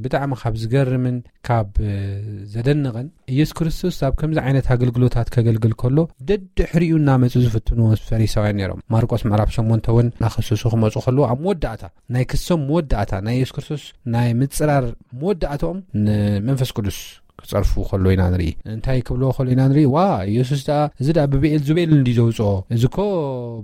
ብጣዕሚ ካብ ዝገርምን ካብ ዘደንቕን፣ ኢየሱስ ክርስቶስ ኣብ ከምዚ ዓይነት ኣገልግሎታት ከገልግል ከሎ ደድሕሪኡ እናመጹ ዝፍትንዎ ፈሪሳውያን ነይሮም። ማርቆስ ምዕራፍ ሸሞንተ እውን እናኸሰሱ ክመጹ ከለዉ ኣብ መወዳእታ፣ ናይ ክሶም መወዳእታ፣ ናይ ኢየሱስ ክርስቶስ ናይ ምጽራር መወዳእታኦም ንመንፈስ ቅዱስ ክጸርፉ ከሎ ኢና ንርኢ። እንታይ ክብልዎ ከሎ ኢና ንርኢ? ዋ፣ ኢየሱስ ደኣ፣ እዚ ደኣ ብብኤልዙቤል እንድዩ ዘውጽኦ፣ እዚ እኮ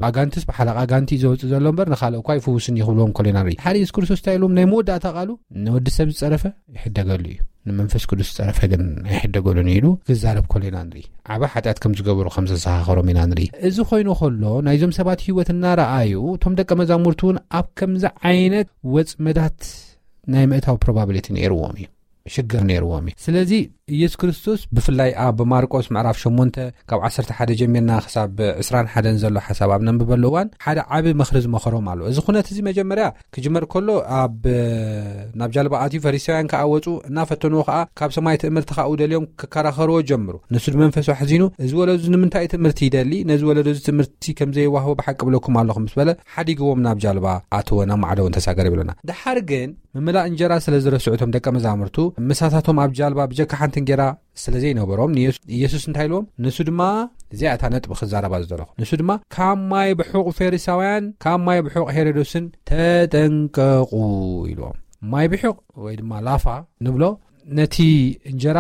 ብኣጋንትስ ብሓለቓ ኣጋንቲ እዩ ዘውጽእ ዘሎ እምበር ንኻልእ እኳ ኣይፍውስን እዩ ክብልዎም ከሎ ኢና ንርኢ። ሓደ ኢየሱስ ክርስቶስ እንታይ ኢሎም? ናይ መወዳእታ ቃሉ፣ ንወዲ ሰብ ዝጸረፈ ይሕደገሉ እዩ፣ ንመንፈስ ቅዱስ ዝጸረፈ ግን ኣይሕደገሉን እዩ ኢሉ ክዛረብ ከሎ ኢና ንርኢ። ዓቢ ሓጢኣት ከም ዝገበሩ ከም ዘዘኻኸሮም ኢና ንርኢ። እዚ ኮይኑ ከሎ ናይዞም ሰባት ህይወት እናረኣዩ እቶም ደቀ መዛሙርቱ እውን ኣብ ከምዚ ዓይነት ወጽመዳት ናይ ምእታው ፕሮባብሊቲ ነይርዎም እዩ፣ ሽግር ነይርዎም እዩ። ስለዚ ኢየሱስ ክርስቶስ ብፍላይ ኣብ ማርቆስ ምዕራፍ ሸሞንተ ካብ ዓሰርተ ሓደ ጀሚርና ክሳብ ዕስራን ሓደን ዘሎ ሓሳብ ኣብ ነንብበሉ እዋን ሓደ ዓቢ ምኽሪ ዝመኸሮም ኣሎ። እዚ ኩነት እዚ መጀመርያ ክጅመር ከሎ ኣብ፣ ናብ ጃልባ ኣትዩ ፈሪሳውያን ከኣ ወጹ፣ እናፈተንዎ ከኣ ካብ ሰማይ ትእምርቲ ከኣ ደልዮም ክከራኸርዎ ጀምሩ። ንሱ ብመንፈሱ ኣሕዚኑ፣ "እዚ ወለዶ እዚ ንምንታይ እዩ ትእምርቲ ይደሊ? ነዚ ወለዶ እዚ ትእምርቲ ከም ዘይዋህቦ ብሓቂ እብለኩም ኣለኹ" ምስ በለ ሓዲግዎም ናብ ጃልባ ኣተወ፣ ናብ ማዕዶ እውን ተሳገረ ይብለና። ድሓር ግን ምምላእ እንጀራ ስለ ዝረስዑ እቶም ደቀ መዛሙርቱ ምሳታቶም ኣብ ጃልባ ብጀካ ሓንቲ እንጌራ ስለ ዘይነበሮም ንየሱ-፣ ኢየሱስ እንታይ ኢልዎም? ንሱ ድማ እዚኣ እታ ነጥቢ ክዛረባ ዝደለኹ። ንሱ ድማ ካብ ማይ ብሑቕ ፈሪሳውያን ካብ ማይ ብሑቕ ሄሮዶስን ተጠንቀቑ ኢልዎም። ማይ ብሑቕ ወይ ድማ ላፋ ንብሎ ነቲ እንጀራ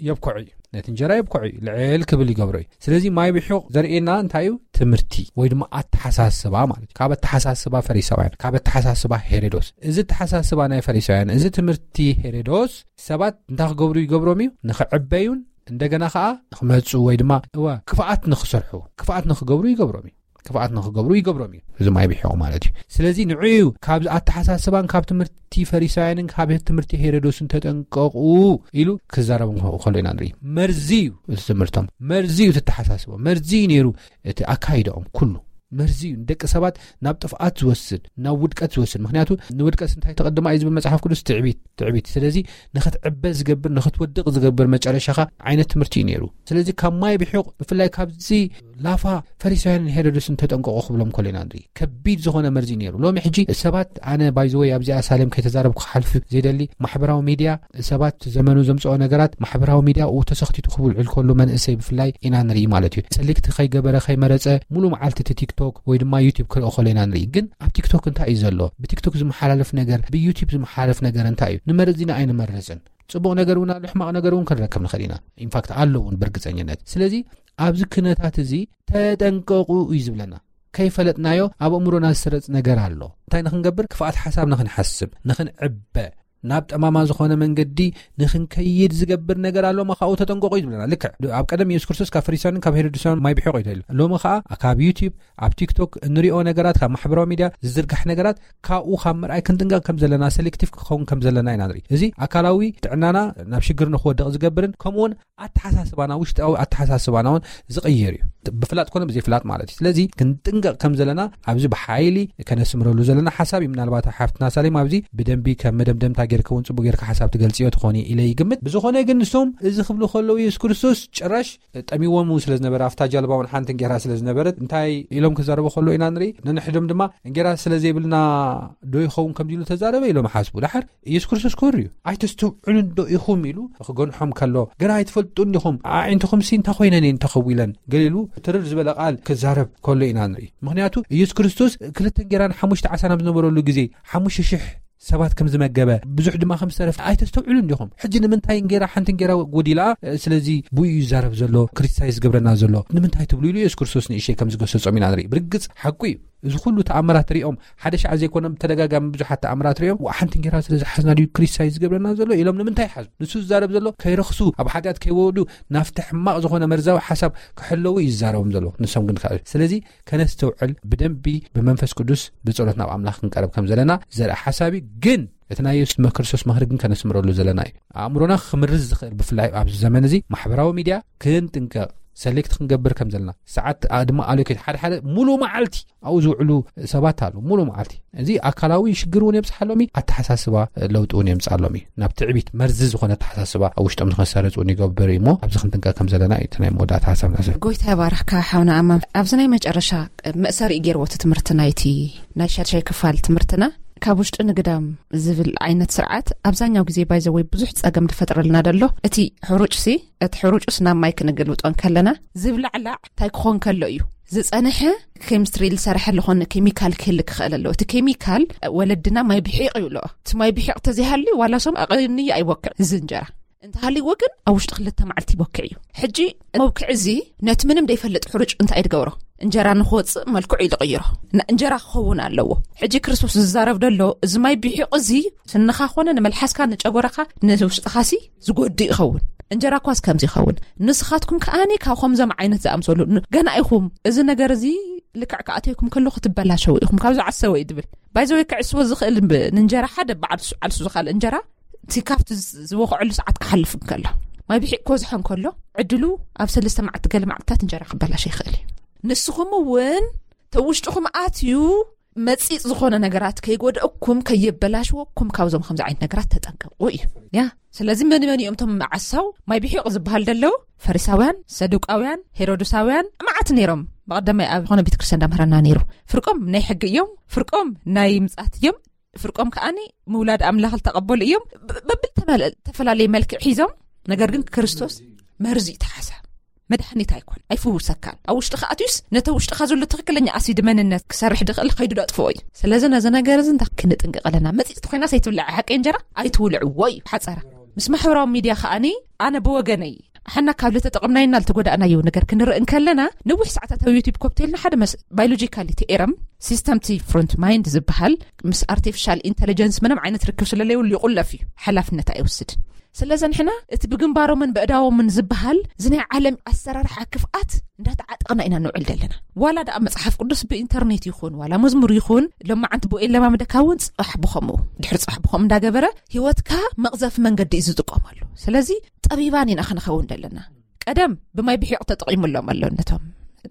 የብኮዑ እዩ። ነቲ እንጀራ የብኮዑ እዩ። ልዕል ክብል ይገብሮ እዩ። ስለዚ ማይ ብሑቕ ዘርእየና እንታይ እዩ? ትምህርቲ ወይ ድማ ኣተሓሳስባ ማለት እዩ። ካብ ኣተሓሳስባ ፈሪሳውያን፣ ካብ ኣተሓሳስባ ሄሮዶስ። እዚ ኣተሓሳስባ ናይ ፈሪሳውያን፣ እዚ ትምህርቲ ሄሮዶስ ሰባት እንታይ ክገብሩ ይገብሮም እዩ? ንኽዕበዩን እንደገና ኸዓ ንኽመጹ ወይ ድማ እወ ክፍኣት ንኽሰርሑ፣ ክፍኣት ንኽገብሩ ይገብሮም እዩ። ክፍኣት ንኽገብሩ ይገብሮም እዩ። እዚ ማይ ብሒቑ ማለት እዩ። ስለዚ ንዑ እዩ ካብዚ ኣተሓሳስባን ካብ ትምህርቲ ፈሪሳውያንን ካብ ትምህርቲ ሄሮዶስን ተጠንቀቑ ኢሉ ክዛረቦም ከ-፣ ከሎ ኢና ንርኢ። መርዚ እዩ እቲ ትምህርቶም፣ መርዚ እዩ እቲ ኣተሓሳስቦም፣ መርዚ እዩ ነይሩ እቲ ኣካይዳኦም ኩሉ። መርዚ እዩ ንደቂ ሰባት ናብ ጥፍኣት ዝወስድ፣ ናብ ውድቀት ዝወስድ። ምኽንያቱ ንውድቀት እንታይ ተቐድማ እዩ ዝብል መጽሓፍ ቅዱስ? ትዕቢት፣ ትዕቢት። ስለዚ ንኽትዕበ ዝገብር፣ ንኽትወድቕ ዝገብር መጨረሻኻ ዓይነት ትምህርቲ እዩ ነይሩ። ስለዚ ካብ ማይ ብሒቕ፣ ብፍላይ ካብዚ ላፋ ፈሪሳውያንን ሄሮድስን ተጠንቀቑ ክብሎም ከሎ ኢና ንርኢ። ከቢድ ዝኾነ መርዚ እዩ ነይሩ። ሎሚ ሕጂ ሰባት፣ ኣነ ባይዘወይ ኣብዚኣ ሳሌም ከይተዛረብኩ ክሓልፍ ዘይደሊ፣ ማሕበራዊ ሚድያ፣ ሰባት ዘመኑ ዘምጽኦ ነገራት ማሕበራዊ ሚድያ ኡ ተሰኽቲቱ ክውዕል ከሎ መንእሰይ ብፍላይ ኢና ንርኢ ማለት እዩ። ሰሊክቲ ከይገበረ ከይመረጸ ሙሉ መዓልቲ እቲ ቲክቶክ ወይ ድማ ዩቲዩብ ክርኢ ከሎ ኢና ንርኢ። ግን ኣብ ቲክቶክ እንታይ እዩ ዘሎ? ብቲክቶክ ዝመሓላለፍ ነገር፣ ብዩቲዩብ ዝመሓላለፍ ነገር እንታይ እዩ? ንመርጽ ኢና ኣይንመርጽን። ጽቡቕ ነገር እውን ኣሎ፣ ሕማቕ ነገር እውን ክንረክብ ንኽእል ኢና። ኢንፋክት ኣሎ እውን ብርግጸኝነት። ስለዚ ኣብዚ ክነታት እዚ ተጠንቀቑ እዩ ዝብለና። ከይፈለጥናዮ ኣብ ኣእምሮና ዝስረጽ ነገር ኣሎ። እንታይ ንኽንገብር? ክፍኣት ሓሳብ ንኽንሓስብ፣ ንኽንዕበ፣ ናብ ጠማማ ዝኾነ መንገዲ ንክንከይድ ዝገብር ነገር ኣሎ፣ መኻኡ ተጠንቀቑ እዩ ዝብለና። ልክዕ ኣብ ቀደም የሱስ ክርስቶስ ካብ ፈሪሳውያንን ካብ ሄሮድሳውያን ማይ ብሒቑ እዩ ተባሂሉ። ሎሚ ኸዓ ካብ ዩቲዩብ፣ ኣብ ቲክቶክ እንሪኦ ነገራት፣ ካብ ማሕበራዊ ሚድያ ዝዝርጋሕ ነገራት፣ ካብኡ ካብ ምርኣይ ክንጥንቀቕ ከም ዘለና፣ ሰሌክቲቭ ክኸውን ከም ዘለና ኢና ንርኢ። እዚ ኣካላዊ ጥዕናና ናብ ሽግር ንክወድቕ ዝገብርን ከምኡውን ኣተሓሳስባና፣ ውሽጣዊ ኣተሓሳስባና እውን ዝቕይር እዩ፣ ብፍላጥ ኮነ ብዘይፍላጥ ማለት እዩ። ስለዚ ክንጥንቀቕ ከም ዘለና ኣብዚ ብሓይሊ ከነስምረሉ ዘለና ሓሳብ እዩ። ምናልባት ሓፍትና ሳሌም ኣብዚ ብደንቢ ከም መደምደምታ ጌርካ እውን ጽቡቅ ጌርካ ሓሳብ ትገልጽዮ ትኾኒ ኢለ ይግምት። ብዝኾነ ግን ንሶም እዚ ክብሉ ከለዉ የሱስ ክርስቶስ ጭራሽ ጠሚዎም ስለ ዝነበረ፣ ኣብታ ጃልባ እውን ሓንቲ እንጌራ ስለ ዝነበረት እንታይ ኢሎም ክዛረቡ ከሎ ኢና ንርኢ። ነንሕዶም ድማ እንጌራ ስለ ዘይብልና ዶ ይኸውን ከምዚ ኢሉ ተዛረበ ኢሎም ሓስቡ። ደሓር የሱስ ክርስቶስ ክብር እዩ። ኣይተስተውዕሉን ዶ ኢኹም ኢሉ ክገንሖም ከሎ፣ ገና ኣይትፈልጡን ዲኹም? ኣዒንትኹምሲ እንታይ ኮይነን እየን ተኸዊለን? ገሊሉ ትርር ዝበለ ቃል ክዛረብ ከሎ ኢና ንርኢ። ምኽንያቱ የሱስ ክርስቶስ ክልተ እንጌራን ሓሙሽተ ዓሳን ኣብ ዝነበረሉ ግዜ ሓሙሽተ ሽሕ ሰባት ከም ዝመገበ፣ ብዙሕ ድማ ከም ዝተረፈ ኣይተስተውዕሉን ዲኹም? ሕጂ ንምንታይ እንጌራ፣ ሓንቲ እንጌራ ጎዲላ፣ ስለዚ ብኡ እዩ ዝዛረብ ዘሎ፣ ክሪቲሳይዝ ዝገብረና ዘሎ ንምንታይ ትብሉ ኢሉ የሱስ ክርስቶስ ንእሽተይ ከም ዝገሰጾም ኢና ንርኢ። ብርግጽ ሓቁ እዩ። እዚ ኩሉ ተኣምራት ሪኦም፣ ሓደ ሻዕ ዘይኮነ ብተደጋጋሚ ብዙሓት ተኣምራት ሪኦም፣ "ዋ፣ ሓንቲ እንጌራ ስለ ዝሓዝና ድዩ ክሪቲሳይዝ ዝገብረና ዘሎ?" ኢሎም ንምንታይ ሓዙ? ንሱ ዝዛረብ ዘሎ ከይረኽሱ፣ ኣብ ሓጢኣት ከይወዱ፣ ናብቲ ሕማቕ ዝኾነ መርዛዊ ሓሳብ ክሕለዉ እዩ ዝዛረቦም ዘሎ። ንሶም ግን ከ-፣ ስለዚ ከነስተውዕል፣ ብደንቢ ብመንፈስ ቅዱስ ብጸሎት ናብ ኣምላኽ ክንቀርብ ከም ዘለና ዘርኢ ሓሳብ እዩ። ግን እቲ ናይ የሱስ ክርስቶስ ምኽሪ ግን ከነስምረሉ ዘለና እዩ። ኣእምሮና ክምርዝ ዝኽእል፣ ብፍላይ ኣብዚ ዘመን እዚ ማሕበራዊ ሚድያ ክንጥንቀቕ፣ ሰሌክት ክንገብር ከም ዘለና፣ ሰዓት ኣ-፣ ድማ ኣሎኬት፣ ሓደ ሓደ ሙሉ መዓልቲ ኣብኡ ዝውዕሉ ሰባት ኣለዉ። ሙሉ መዓልቲ። እዚ ኣካላዊ ሽግር እውን የብፅሓሎም እዩ፣ ኣተሓሳስባ ለውጢ እውን የምፅኣሎም እዩ። ናብ ትዕቢት፣ መርዚ ዝኾነ ኣተሓሳስባ ኣብ ውሽጦም ንኸሰርፅ እውን ይገብር እዩ። እሞ ኣብዚ ክንጥንቀቕ ከም ዘለና እዩ እቲ ናይ መወዳእታ ሓሳብ ንዕዘብ። ጎይታ ይባርኽካ ሓውና ኣማን። ኣብዚ ናይ መጨረሻ መእሰሪ ገይርዎ እቲ ትምህርቲ ናይቲ ናይ ሻድሻይ ክፋል ትምህርትና፣ ካብ ውሽጢ ንግዳም ዝብል ዓይነት ስርዓት ኣብዛኛው ግዜ ባይዘወይ ብዙሕ ጸገም ዝፈጥረልና ደሎ። እቲ ሕሩጭ ሲ፣ እቲ ሕሩጭስ ናብ ማይ ክንገልብጦ እንከለና ዝብላዕላዕ እንታይ ክኾን ከሎ እዩ ዝጸንሐ፣ ኬሚስትሪ ዝሰርሐ ዝኾነ ኬሚካል ክህልክ ክኽእል ኣለዎ። እቲ ኬሚካል ወለድና ማይ ብሒቕ ይብልኦ። እቲ ማይ ብሒቕ ተዘይሃልዩ ዋላ ሶም ኣቐንዩ ኣይቦክዕ እዚ እንጀራ። እንተሃልይዎ ግን ኣብ ውሽጢ ክልተ መዓልቲ ይቦክዕ እዩ። ሕጂ መብክዕ እዚ ነቲ ምንም ዘይፈልጥ ሕሩጭ እንታይ ድገብሮ? እንጀራ ንክወፅእ መልክዑ እዩ ዝቕይሮ። ን-፣ እንጀራ ክኸውን ኣለዎ። ሕጂ ክርስቶስ ዝዛረብ ደሎ እዚ ማይ ብሒቕ እዚ ስንኻ ኮነ ንመልሓስካ ንጨጎራኻ ንውሽጥኻሲ ዝጎድእ ይኸውን። እንጀራ ኳስ ከምዚ ይኸውን። ንስኻትኩም ከኣኒ ካብ ከምዞም ዓይነት ዝኣምሰሉ ን-፣ ገና ኢኹም። እዚ ነገር እዚ ልክዕ ክኣትየኩም ከሎ ክትበላሸው ኢኹም። ካብ ዝዓሰወ እዩ ድብል። ባይዘወይ ክዕስዎ ዝኽእል ብ-፣ ንእንጀራ ሓደ ብዓልሱ፣ ዓልሱ ዝኻል እንጀራ እቲ ካብቲ ዝ-፣ ዝበኽዐሉ ሰዓት ክሓልፍ እንከሎ፣ ማይ ብሒቕ ክወዝሖ እንከሎ፣ ዕድሉ ኣብ ሰለስተ መዓልቲ ገለ መዓልትታት እንጀራ ክበላሸ ይኽእል እዩ። ንስኹም እውን ተውሽጥኹም ኣትዩ መጺጽ ዝኾነ ነገራት ከይጎድኣኩም፣ ከየበላሽወኩም ካብዞም ከምዚ ዓይነት ነገራት ተጠንቀቑ እዩ። ያ፣ ስለዚ መን መን እዮም እቶም መዓሳው ማይ ብሒቕ ዝበሃል ደለዉ? ፈሪሳውያን፣ ሰዱቃውያን፣ ሄሮድሳውያን መዓት ነይሮም። ብቐደማይ ኣብ ዝኾነ ቤተክርስትያን እንዳምህረና ነይሩ። ፍርቆም ናይ ሕጊ እዮም፣ ፍርቆም ናይ ምጽኣት እዮም፣ ፍርቆም ከኣኒ ምውላድ ኣምላኽ ዝተቐበሉ እዮም። ብ-፣ በብል ተመለ-፣ ተፈላለየ መልክዕ ሒዞም፣ ነገር ግን ክርስቶስ መርዚ እዩ እቲ ሓሳብ። መድሓኒት ኣይኮን፣ ኣይፍውሰካን። ኣብ ውሽጥኻ ኣትዩስ ነተ ውሽጥኻ ዘሎ ትኽክለኛ ኣሲድ መንነት ክሰርሕ ድኽእል ከይዱ ደጥፍኦ እዩ። ስለዚ ነዚ ነገር እዚ እንታይ ክንጥንቀቕ ኣለና? መጺጽቲ ኮይና ሰይትብላዕ ሓቂ እንጀራ ኣይትውልዕዎ እዩ ሓጸራ። ምስ ማሕበራዊ ሚድያ ከኣኒ ኣነ ብወገነይ ሓና ካብ ልተጠቐምናዮና ልተጎዳእናዮ ነገር ክንርኢ እንከለና፣ ነዊሕ ሰዓታት ኣብ ዩቲዩብ ኮፕቴልና ሓደ መስ-፣ ባዮሎጂካል እቲ ኤረም ሲስተም እቲ ፍሮንት ማይንድ ዝበሃል ምስ ኣርቲፊሻል ኢንተለጀንስ ምንም ዓይነት ርክብ ስለለይብሉ ይቑለፍ እዩ፣ ሓላፍነት ኣይወስድን። ስለዚ ንሕና እቲ ብግንባሮምን ብእዳዎምን ዝበሃል እዚ ናይ ዓለም ኣሰራርሓ ክፍኣት እንዳተዓጠቕና ኢና ንውዕል ዘለና። ዋላ ደኣ መጽሓፍ ቅዱስ ብኢንተርኔት ይኹን፣ ዋላ መዝሙር ይኹን፣ ሎማዓንቲ ብኡ የለማምደካ እውን ጽባሕ ብኸምኡ፣ ድሕሪ ጽባሕ ብኸምኡ እንዳገበረ ህይወትካ መቕዘፊ መንገዲ እዩ ዝጥቀመሉ። ስለዚ ጠቢባን ኢና ክንኸውን ዘለና። ቀደም ብማይ ብሒቕ ተጠቒሙሎም ኣሎ ነቶም፣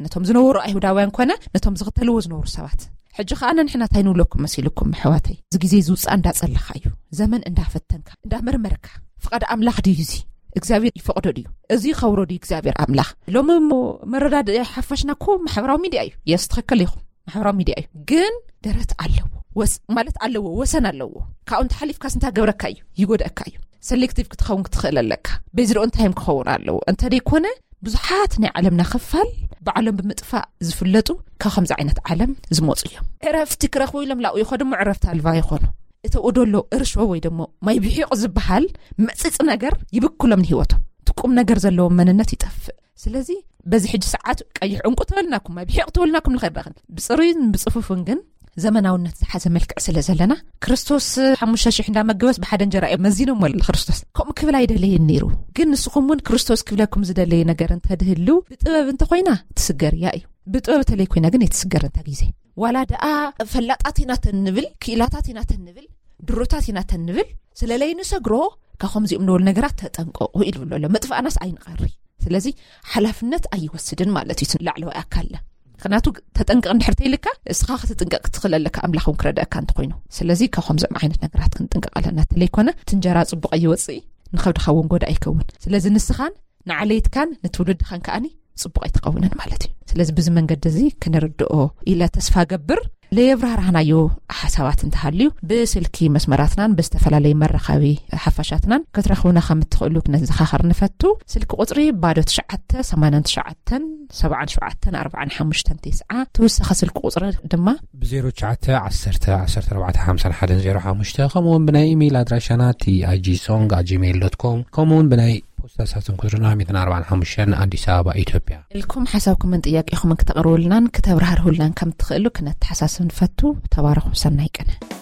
ነቶም ዝነበሩ ኣይሁዳውያን ኮነ ነቶም ዝኽተልዎ ዝነበሩ ሰባት። ሕጂ ኸኣ ንሕና እንታይ ንብለኩም መሲልኩም ኣሕዋተይ? እዚ ግዜ ዝውጻእ እንዳጸለኻ እዩ። ዘመን እንዳፈተንካ፣ እንዳመርመርካ፣ ፍቓድ ኣምላኽ ድዩ እዚ? እግዚኣብሔር ይፈቕዶ ድዩ? እዚ ይኸብሮ ድዩ እግዚኣብሔር ኣምላኽ? ሎሚ እሞ መረዳድኢ ሓፋሽና እኮ ማሕበራዊ ሚድያ እዩ። የስ፣ ትኽክል ኢኹም። ማሕበራዊ ሚድያ እዩ። ግን ደረት ኣለዎ። ወስ-፣ ማለት ኣለዎ፣ ወሰን ኣለዎ። ካብኡ እንተሓሊፍካስ እንታይ ገብረካ እዩ? ይጎድኣካ እዩ። ሰሌክቲቭ ክትኸውን ክትኽእል ኣለካ። በዚ ደኦ እንታይ እዮም ክኸውን ኣለዎ? እንተ ደይኮነ ብዙሓት ናይ ዓለምና ክፋል ባዕሎም ብምጥፋእ ዝፍለጡ ካብ ከምዚ ዓይነት ዓለም ዝመፁ እዮም። ዕረፍቲ ክረኽቡ ኢሎም ላኡ ይኸዱ እሞ ዕረፍቲ ኣልባ ይኾኑ። እቲ ደሎ እርሾ ወይ ደሞ ማይ ብሒቕ ዝበሃል መፂፅ ነገር ይብክሎም ንህይወቶም። እቲ ቁም ነገር ዘለዎም መንነት ይጠፍእ። ስለዚ በዚ ሕጂ ሰዓት ቀይሕ ዕንቁ ተበልናኩም፣ ማይ ብሒቕ ተበልናኩም ንኸይድ ዳኽን ብፅሩይን ብፅፉፍን ግን ዘመናውነት ዝሓዘ መልክዕ ስለ ዘለና፣ ክርስቶስ ሓሙሽተ ሽሕ እንዳመገበስ ብሓደ እንጀራ እዮም መዚኖሞ። ክርስቶስ ከምኡ ክብል ኣይደለየን ነይሩ። ግን ንስኹም እውን ክርስቶስ ክብለኩም ዝደለየ ነገር እንተድህሉ፣ ብጥበብ እንተኮይና ትስገር እያ እዩ። ብጥበብ ተለይ ኮይና ግን የትስገር እንተ ግዜ። ዋላ ደኣ ፈላጣት ኢና ተንብል፣ ክኢላታት ኢና ተንብል፣ ድሩታት ኢና ተንብል፣ ስለለይ ንሰግሮ፣ ካብ ከምዚኦም ንበሉ ነገራት ተጠንቀቑ ኢሉ ብሎ ኣሎ። መጥፋእናስ ኣይንቐሪ። ስለዚ ሓላፍነት ኣይወስድን ማለት እዩ ላዕለዋይ ኣካልና። ምክንያቱ ተጠንቀቕ እንድሕር ተይልካ፣ እስኻ ክትጥንቀቕ ክትኽእል ኣለካ፣ ኣምላኽ እውን ክረድኣካ እንተኮይኑ። ስለዚ ካብ ከምዚኦም ዓይነት ነገራት ክንጥንቀቕ ኣለና። ተለይኮነ እቲ እንጀራ ጽቡቕ ኣይወጽእ፣ ንኸብድኻ እውን ጎዳ ኣይከውን። ስለዚ ንስኻን ንዓለይትካን ንትውልድኻን ከኣኒ ጽቡቕ ኣይትኸውንን ማለት እዩ። ስለዚ ብዚ መንገዲ እዚ ክንርድኦ ኢለ ተስፋ ገብር። ለየብራህራህናዮ ሓሳባት እንተሃልዩ፣ ብስልኪ መስመራትናን ብዝተፈላለዩ መራኸቢ ሓፋሻትናን ክትረኽቡና ከም እትኽእሉ ክነዘኻኸር ንፈቱ። ስልኪ ቁጽሪ ባዶ ትሽዓተ ሰማንያን ትሽዓተን ሰብዓን ሸውዓተን ኣርባዓን ሓሙሽተን ተስዓ። ተወሳኺ ስልኪ ቁጽሪ ድማ ብ ዜሮ ትሽዓተ ዓሰርተ ዓሰርተ ኣርባዕተ ሓምሳን ሓደን ዜሮ ሓሙሽተ፣ ከምኡ እውን ብናይ ኢሜይል ኣድራሻና ቲ ኣይ ጂ ሶንግ ኣት ጂሜይል ዶት ኮም፣ ከምኡ እውን ብናይ ፖስታ ሳጥን ቁጽርና ሚእትን ኣርባዓን ሓሙሽተን፣ ኣዲስ ኣበባ፣ ኢትዮጵያ። ኢልኩም ሓሳብኩምን ጥያቄኹምን ክተቕርቡልናን ክተብራህርሁልናን ከም ትኽእሉ ክነተሓሳስብ ንፈቱ። ተባረኹ፣ ሰናይ ቅነ።